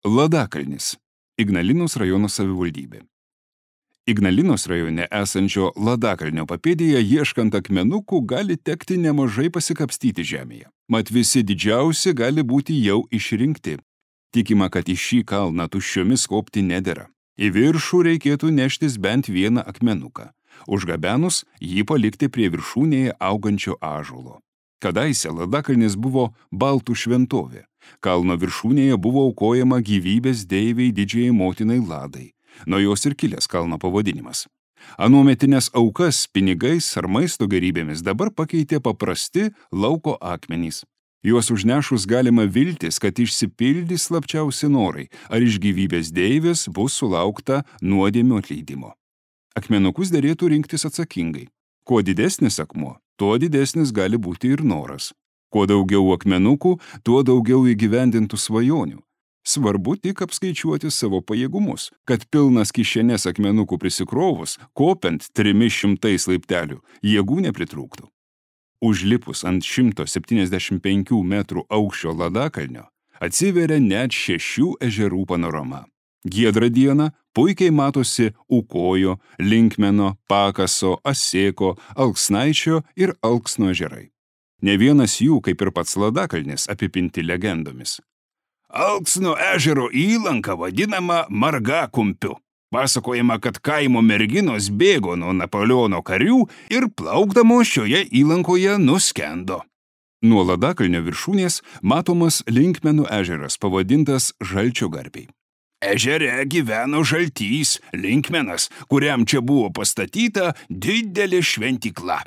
Ladakalnis – Ignalinos rajono savivaldybė. Ignalinos rajone esančio Ladakalnio papėdėje ieškant akmenukų gali tekti nemažai pasikapstyti žemėje. Mat visi didžiausi gali būti jau išrinkti. Tikima, kad į šį kalną tuščiomis kopti nedera. Į viršų reikėtų neštis bent vieną akmenuką. Užgabenus jį palikti prie viršūnėje augančio ąžuolo. Kadaise Ladakalnis buvo baltų šventovė. Kalno viršūnėje buvo aukojama gyvybės deivei didžiajai motinai Ladai. Nuo jos ir kilęs kalno pavadinimas. Anuometinės aukas pinigais ar maisto gerybėmis dabar pakeitė paprasti lauko akmenys. Juos užnešus galima viltis, kad išsipildys slapčiausi norai, ar iš gyvybės deivės bus sulaukta nuodėmių atleidimo. Akmenukus derėtų rinktis atsakingai. Kuo didesnis akmuo, tuo didesnis gali būti ir noras. Kuo daugiau akmenukų, tuo daugiau įgyvendintų svajonių. Svarbu tik apskaičiuoti savo pajėgumus, kad pilnas kišenės akmenukų prisikrovus, kopiant 300 laiptelių, jėgų nepritrūktų. Užlipus ant 175 metrų aukščio Ladakalnio atsiveria net 6 ežerų panorama. Giedrą dieną puikiai matosi Ukojo, Linkmeno, Pakaso, Asėko, Alksnaičio ir Alksno ežerai. Ne vienas jų, kaip ir pats Ladakalnis, apipinti legendomis. Alksno ežero įlanka vadinama Margakumpiu. Pasakojama, kad kaimo merginos bėgo nuo Napoleono karių ir plaukdamos šioje įlankoje nuskendo. Nuo Ladakalnio viršūnės matomas Linkmenų ežeras, pavadintas Žalčiogarbiai. Ežere gyveno žaltys Linkmenas, kuriam čia buvo pastatyta didelė šventykla.